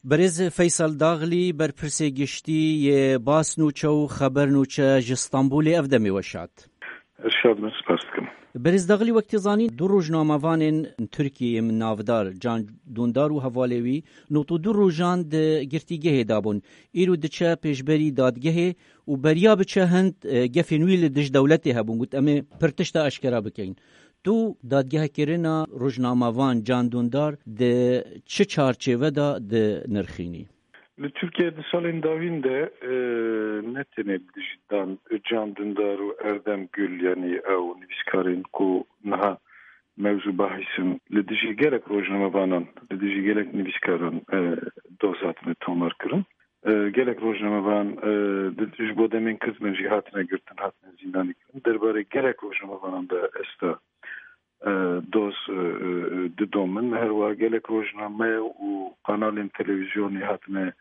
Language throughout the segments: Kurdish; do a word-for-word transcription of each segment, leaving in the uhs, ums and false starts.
Berêz Feysel Daxlî, berpirsê giştî yê Bas Nûçe û Xeber Nûçe ji Stenbolê, ev demê we şad. Ez şad me, spas dikim. Berêz Daxlî, wek tê zanîn, du rojnamevanên Tirkiyeyê navdar Can Dûndar û hevalê wî nod û du rojan di girtîgehê de bûn. Îro diçe pêşberî dadgehê û beriya biçe hind, e, gefên wî li dij dewletê hebûn, got, "Em ê pir tişta eşkera bikeyin." Tu dadgehkirina rojnamevan Can Dûndar di çi çarçêve de dinirxînî? Li Tirkiye di salên dawîn de, e, ne tenê li dijî Dan, Can Dûndar û Erdem Gül, yanî ew nivîskarên ku niha mewzû bahîs in, li dijî gelek rojnamevanan, li dijî gelek nivîskaran, e, doz hatine tomarkirin. E, gelek rojnamevan, e, di, ji bo demên kurt bin jî hatine girtin, hatine zîndanî kirin. Derbarê gelek rojnamevanan de esta, e, doz, e, e, didomin. Her wiha gelek rojname û kanalên televîzyonê hatine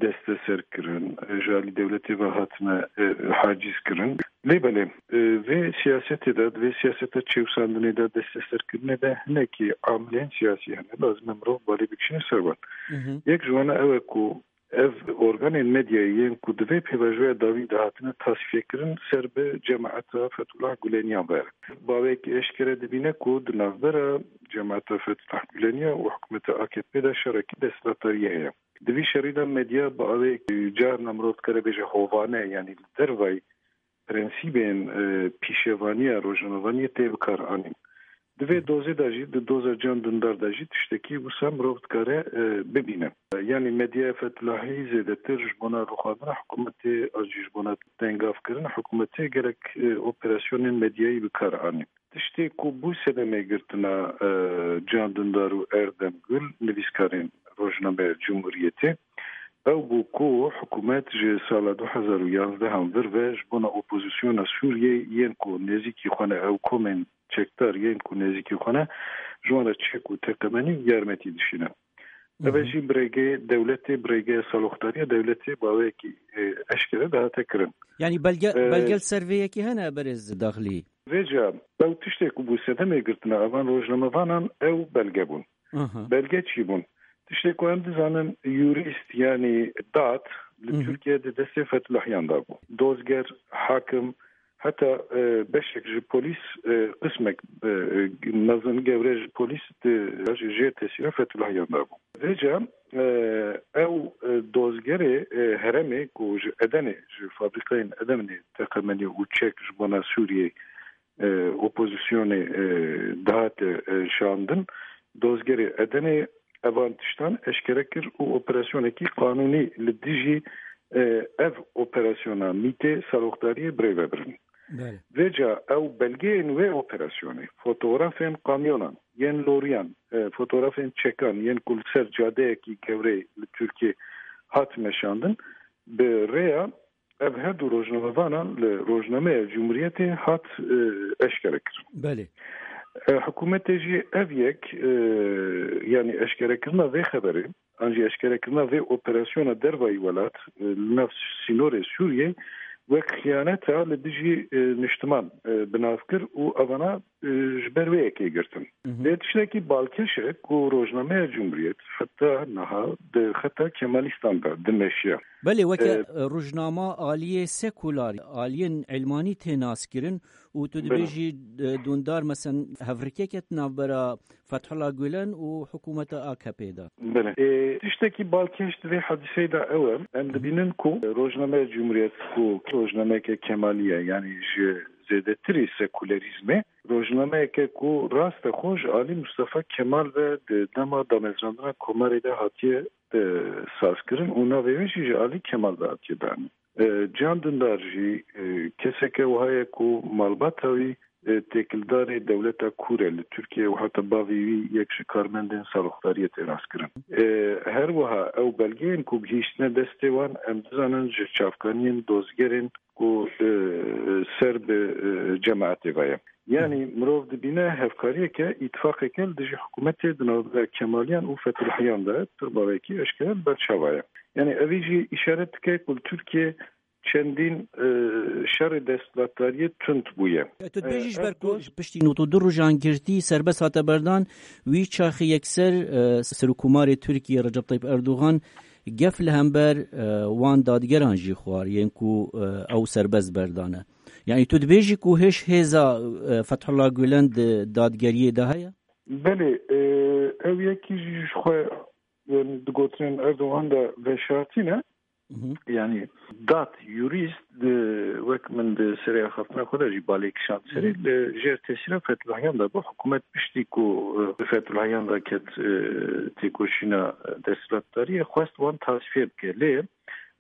desteser kirin, e, ji alî dewletê ve hatine, e, haciz kirin. Lê belê, e, vê siyasetê de, di vê siyaseta çêwsandinê de, desteserkirinê de hinekî amilên siyasî hene. Lazim e mirov balê bikişîne ser wan. Hı hı. Yek ji wan ew e ku ev organên medyayê yên ku di vê pêvajoya dawî de hatine tasfiyekirin, ser bi cemaeta Fethullah Guleniyan ve. Baweyekî eşkere dibîne ku di navbera cemaeta Fethullah Guleniya û hikûmeta A K P de şerekî desthilatdariyê heye. Di vî şerî de medya bi awê carna mirov dikare bêje hovane, yanî li dervayî prensîbên, e, pîşevaniya rojnamevaniyê tê bikar anîn. Di vê dozê de jî, di doza Can Dundar de jî tiştekî wisa mirov dikare, e, bibîne. Yanî medyaya Fetulahî zêdetir ji bona rûxandina hikûmetê an jî ji bona tengavkirina hikûmetê gelek, e, operasyonên medyayî bi kar anîn. Tiştê ku bû sedemê girtina, e, Can Dundar û Erdem Gul, nivîskarên rojnameya Cumhuriyetê, ew bû ku hikûmet ji sala du hezar û yanzdeh an vir ve ji bona opozisyona Sûriyê yên ku nêzîkî xwe ne, ew komên çekdar yên ku nêzîkî xwe ne, ji wan re çek û teqemenî û yarmetî dişîne. Ev e Hı hı. jî bi rêgê dewletê, bi rêgê saloxdariya dewletê baweyekî, e, eşkere dihate kirin. Yanî belge, E, belge li ser vê yekê hene, berêz Daxlî? Vêca, ew tiştê ku bû sedemê girtina evan rojnamevanan ew belge bûn. Aha. Belge çi bûn? Tiştê ku em dizanin, yurîst, yanî dad li Hı hı. Tirkiye di destê Fetulahyan de bû. Dozger, hakim, heta, e, beşek ji polîs, e, qismek, e, e, mezin gewre ji polîs di, jê tesîra Fetulahyan de bû. Vêca, e, ew, e, dozgerê, e, herêmê ku ji Edenê, ji fabrîkayên Edenê teqemenî û çek ji bona Sûriyê, e, opozisyonê, e, dihate, e, şandin, dozgerê Edenê evan tiştan eşkere kir û operasyonekî qanûnî li dijî, e, ev operasyona mîtê saloxdariyê birêve birin. Belê. Vêca ew belgeyên wê operasyonê, fotografên kamyonan, yên loriyan, e, fotografên çekan, yên ku li ser cadeyekî gewreyê li Tirkiyê hat meşandin, bi rêya ev her du rojnamevanan li rojnameya Cumhuriyetê hat, e, eşkere kirin. Belê. E, hikûmetê jî ev yek, e, yanî eşkerekirina vê xeberê, an jî eşkerekirina vê operasyona dervayî welat, e, li nav sînorê Sûriyê wek xiyaneta li dijî, e, niştiman, e, bi nav kir û evana, e, ji ber wê yekê girtin. Hı hı. Lê tiştekî balkêş e ku rojnameya Cumhuriyet heta niha di xeta Kemalîstan de dimeşiya. Belê, weke, E, e, rojnama aliyê sekular, aliyên ilmanî tê naskirin û tu Belê. dibêjî, e, Dundar, mesen, hevrikek e di navbera Fethullah Gulen û hikûmeta A K P de. Belê. E, tiştekî balkêş di vê hadiseyê de ew e. Em Hı hı. dibînin ku rojnameya Cumhuriyet ku rojnameyeke Kemalî ye, yanî ji zêdetirî sekulerîzmê, rojnameyeke ku rastexwe ji alî Mustafa Kemal ve di dema damezrandina Komarê de hatiye, e, sazkirin û navê wê jî ji alî Kemal ve hatiye danîn. E, Can Dundar jî, e, keseke wiha ye ku malbata wî, e, têkildarê dewleta kûr e li Tirkiye û heta bavê wî yek ji karmendên saloxdariyê tê naskirin. E, her wiha ew belgeyên ku gihîştine destê wan, em dizanin ji çavkaniyên dozgerên ku, e, ser bi, e, cemaetê ve ye. Yanî mirov dibîne hevkariyeke, îtifaqeke li dijî hikûmetê di navbera Kemaliyan û Fetulhiyan de pir bawekî eşkere li ber çava ye. Yanî evî jî îşaret dike ku li Tirkiye çendîn, e, şerê desthilatdariyê tund bûye. E, tu dibêjî ji E, ber ev ku doz- piştî nod û du rojan girtî serbest hate berdan, wî çaxê yekser, e, Serokkomarê Tirkiye Recep Tayyip Erdogan gef li hember, e, wan dadgeran jî xwar, yên ku, e, ew serbest berdane. Yani tu dibêjî ku hêj hêza, e, Fethullah Gulen di dadgeriyê de heye? Belê, e, ew yekî jî ji xwe, yani, di gotinên Erdogan de veşartî ne. Mhm. Yani, dat, yurîst, di, wek min di serê axaftina xwe de jî balê kişand serê, Mhm. li jêr tesîra Fethullahiyan de bû. Hikûmet piştî ku, e, Fethullahiyan de ket, e, têkoşîna desthilatdariyê, xwest wan tasfiye bike. Lê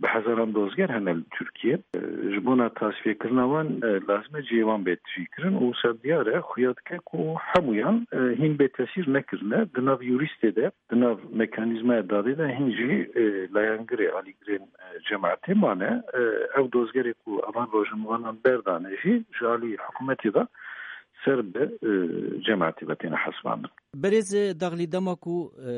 bi hezaran dozger hene li Tirkiye. E, ji bona tasfiyekirina wan, e, lazim e cihê wan bê tijîkirin û wisa diyar e, xuya dike ku hemûyan, e, hîn bê tesîr nekirine. Di nav yurîstê de, di nav mekanîzmaya dadê de hîn jî, e, layengirê, alîgirên, e, cemaetê mane. E, ev dozgerê ku evan rojnamevanan berdane jî ji alî hikûmetê de ser bi, e, cemaetê ve têne hesibandin. Berêz Daxlî, dema ku, e,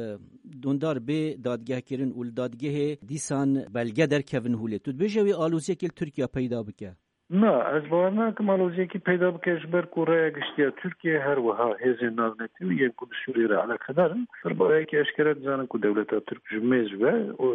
dondar bê dadgehkirin û li dadgehê dîsan belge derkevin holê, tu dibêje wê aloziyekê li Tirkiye peyda bike? Na, ez bawer nakim aloziyekî peyda bike, ji ber ku raya giştî ya Tirkiye, her wiha hêzên navnetewî yên ku bi Sûriyê re eleqedar in, bi rayekî eşkere dizanin ku dewleta Tirk ji mêz ve, o,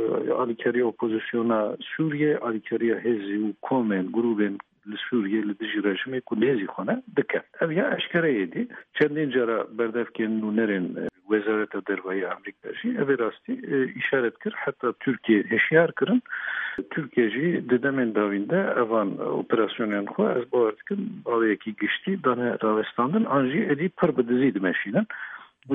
alîkariya opozisyona Sûriyê, alîkariya hêzî û komên, grûbên li Sûriyê li dijî rejimê ku nêzî xwe ne, dike. Ev ya eşkere yê dî. Çendîn cara berdevkên nûnerên, e, Wezareta Derve ya Amerîka jî evê rastî, e, îşaret kir. Heta Tirkiye hişyar kirin. Tirkiye jî di demên dawîn de evan operasyonên xwe, ez bawer dikim, baweyekî giştî dane rawestandin, an jî êdî pir bi dizî dimeşînin.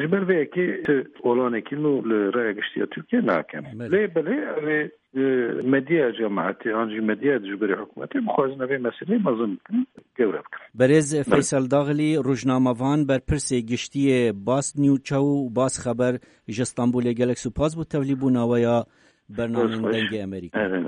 Ji ber vê yekê ti olanekî nû li raya giştî ya Tirkiye nakin. Belê. Lê belê, ev ê, e, medyaya cemaetê an jî medyaya dijberê hikûmetê bixwazin ev ê meseleyê mezin bikin, gewre bikin. Berêz Belê. Feysel Daxlî, rojnamevan, berpirsê giştî yê Bas News Çaw û Bas Xeber ji Stenbolê, gelek spas bo tevlîbûna we ya bernameyên Dengê Amerîka. Erê.